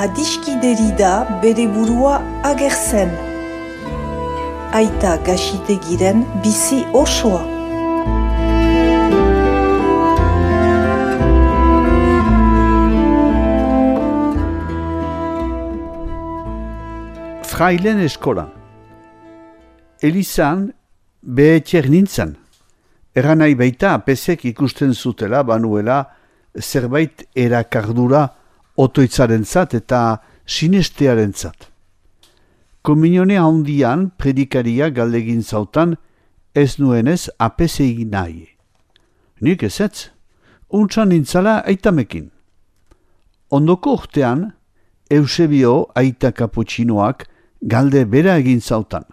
adiskideri da bere burua agertzen. Aita Gaxitegiren bizi osoa. Frailen eskola. Elizan behetxer nintzen. Eranai baita apesek ikusten zutela banuela zerbait erakardura otoitzarentzat eta sinestearentzat. Komunione handian predikaria galdegin zautan ez nuenez apesei nahi. Nik ezetz, untsan nintzala aitamekin. Ondoko urtean, Eusebio aita kaputxinoak galde bera egin zautan.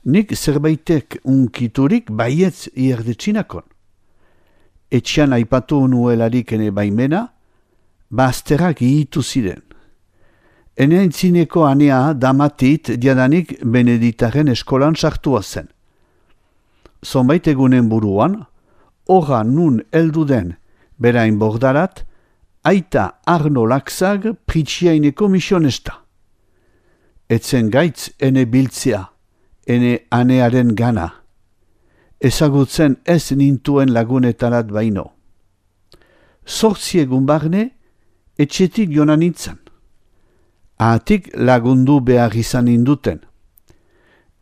Nik zerbaitek unkiturik baietz ierdetxinakon. Etxean aipatu nuelarik ene baimena, bazterrak ihitu ziren. Ene aintzineko anea damatit diadanik Beneditaren eskolan sartua zen. Zonbait egunen buruan, horra nun heldu den berain bordarat, aita Arno Laxag pritsiaineko misionesta. Etzen gaitz ene biltzea, ene anearen gana. Ezagutzen ez nintuen lagunetarat baino. 8 egun barne, etxetik joan nintzen. Ahatik lagundu behar izan induten.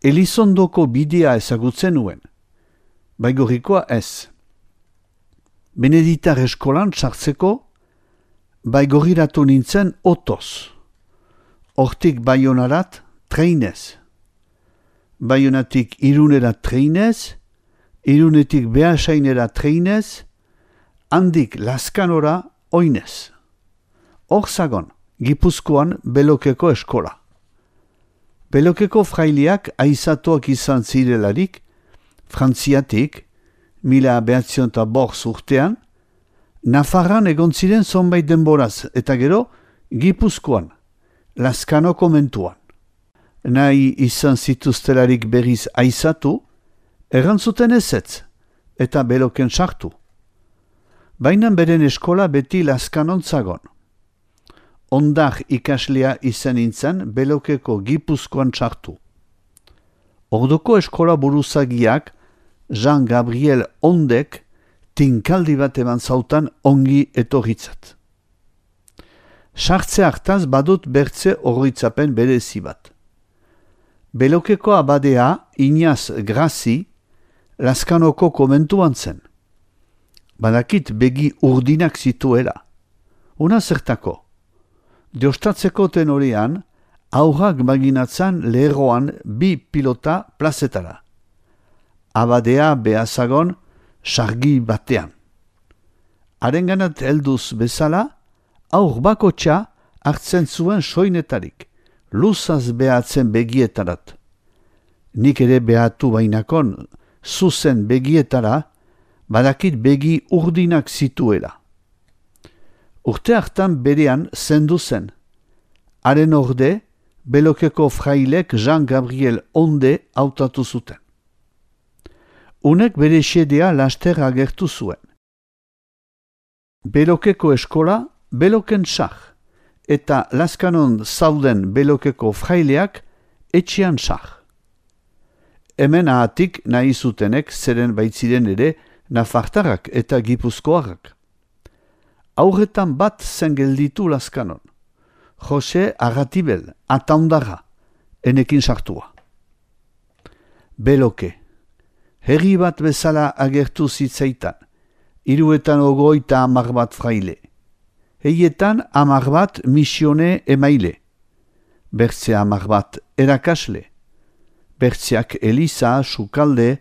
Elizondoko bidea ezagutzen nuen. Baigorikoa ez. Beneditar eskolan sartzeko, baigorriratu nintzen otoz. Hortik Baionarat treinez. Baionatik Irunerat treinez, Irunetik Beasainera treinez, handik Laskanora oinez. Hor zagon, Gipuzkoan Belokeko eskola. Belokeko fraileak aizatuak izan zirelarik, Frantziatik, 1905 urtean, Nafarran egon ziren zonbait denboraz, eta gero Gipuzkoan, Laskano komentuan. Nahi izan zituztelarik berriz aizatu, errantzuten ezetz, eta Beloken sartu. Baina beren eskola beti Laskanon zagon. Ondar ikaslea izan nintzen Belokeko Gipuzkoan sartu. Ordoko eskola buruzagiak Jean Gabriel Ondek tinkaldi bat eman zautan ongi etorritzat. Sartze hartaz badut bertze oroitzapen berezi bat. Belokeko abadea Iñaz Grazi Laskanoko komentuan zen. Badakit begi urdinak zituela. Una zertako. Deostatzeko tenorean, aurrak maginatzan leheroan 2 pilota plazetara. Abadea behazagon sargi batean. Harenganat helduz bezala, aur bakotxa hartzen zuen soinetarik, luzaz behatzen begietarat. Nik ere behatu bainakon, zuzen begietara, badakit begi urdinak zituela. Urte hartan berean zendu zen. Haren orde, Belokeko frailek Jean Gabriel Onde hautatu zuten. Unek bere xedea laster agertu zuen. Belokeko eskola, Beloken sah, eta Laskanon zauden Belokeko fraileak etxean sah. Hemen ahatik nahi zutenek zeren baitziren ere Nafartarrak eta Gipuzkoarrak. Aurretan bat zen gelditu Laskanon. Jose Arratibel, ataundarra, enekin sartua. Beloke. Herri bat bezala agertu zitzaitan, 350 bat fraile. Heietan 10 bat misione emaile. Bertze 10 bat erakasle. Bertzeak eliza, sukalde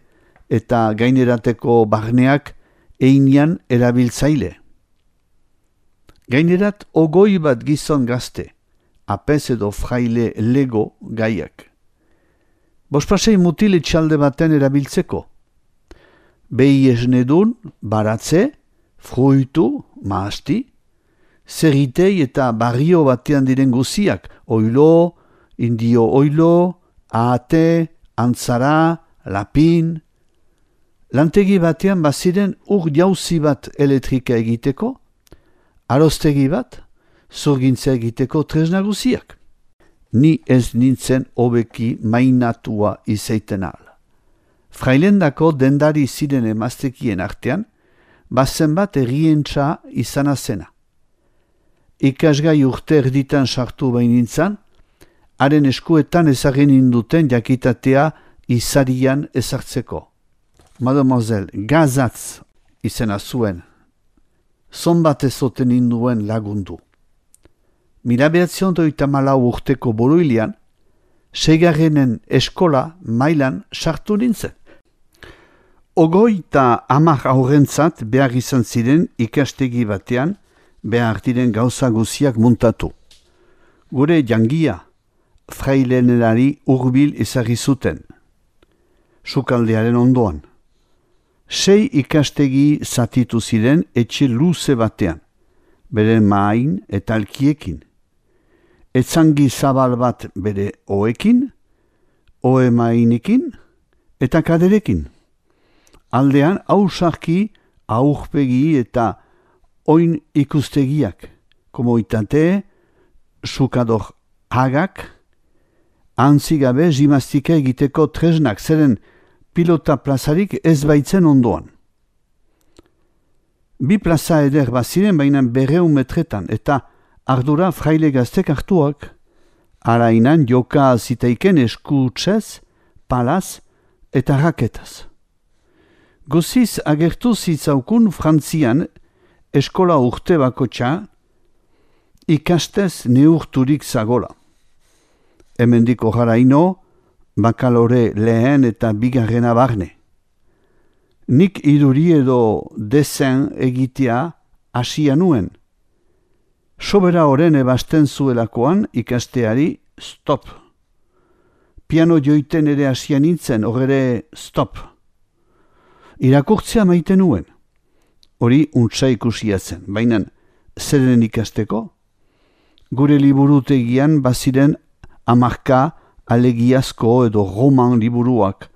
eta gainerateko barneak einean erabiltzaile. Gainerat 20 bat gizon gazte, apez edo fraile lego gaiak. Bospasei mutil etxalde baten erabiltzeko. Behi esnedun, baratze, fruitu, mahasti, zerritei eta barrio batean diren guziak, oilo, indio oilo, ahate, antzara, lapin. Lantegi batean baziren ur jauzi bat elektrika egiteko, aroztegi bat, zurgintza egiteko tresna guziak. Ni ez nintzen hobeki mainatua izaiten al. Frailendako dendari ziren emaztekien artean, bazen bat errientza izana zena. Ikasgai urte erditan sartu bainintzan, haren eskuetan ezagen induten jakitatea izarian ezartzeko. Mademoiselle Gazatz izena zuen, zonbat ezoten induen lagundu. 1934 urteko boroilean, 6. eskola mailan sartu nintzen. 30 aurrentzat behar izan ziren ikastegi batean behar diren gauza guziak muntatu. Gure jangia, frailenelari hurbil ezagri zuten. Sukaldearen ondoan. 6 ikastegi zatitu ziren etxe luze batean, bere main eta alkiekin. Etzangi zabal bat bere oekin, oe mainekin eta kaderekin. Aldean hausarki, aurpegi eta oin ikustegiak, komoitate, sukador hagak, antzigabe gimnastika egiteko tresnak zeren pilota plazarik ez baitzen ondoan. 2 plaza eder baziren baina 200 metretan eta ardura fraile gaztek hartuak, arainan joka zitaiken eskutsez, palaz eta raketaz. Goziz agertu zitzaukun Frantzian eskola urte bakotxa ikastez neurturik zagola. Hemendiko jaraino, bakalore lehen eta bigarrena barne. Nik iduri edo desen egitea hasia nuen. Sobera horren ebasten zuelakoan ikasteari stop. Piano joiten ere hasia nintzen, horre stop. Irakurtzea maite nuen. Hori untsa ikusia zen, baina zeren ikasteko? Gure liburutegian baziren 10 alegiazko edo roman liburuak,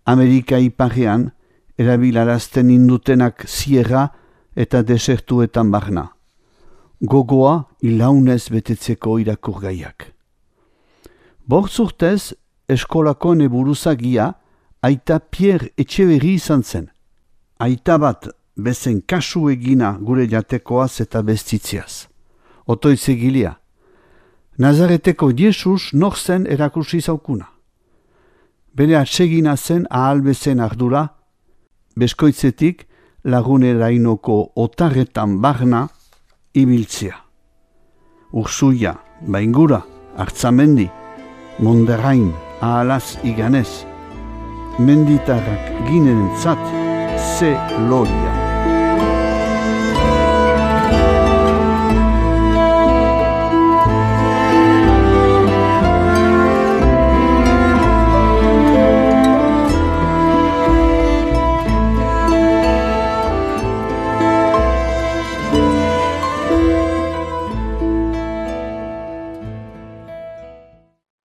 Amerika iparrean erabilarazten indutenak zierra eta desertuetan barna. Gogoa ilaunez betetzeko irakurgaiak. 5 urtez eskolako neburuzagia aita Pierre Etxeberri izan zen. Aita bat bezen kasu egina gure jatekoaz eta bestitziaz. Otoitz egilea. Nazareteko Jesus nor zen erakursi zaukuna. Bere atsegina zen ahal bezen ardura, beskoitzetik lagunerainoko otarretan barna ibiltzea. Ursuia, Baingura, Artzamendi, Monderain, ahalaz iganez, menditarrak ginentzat ze loria.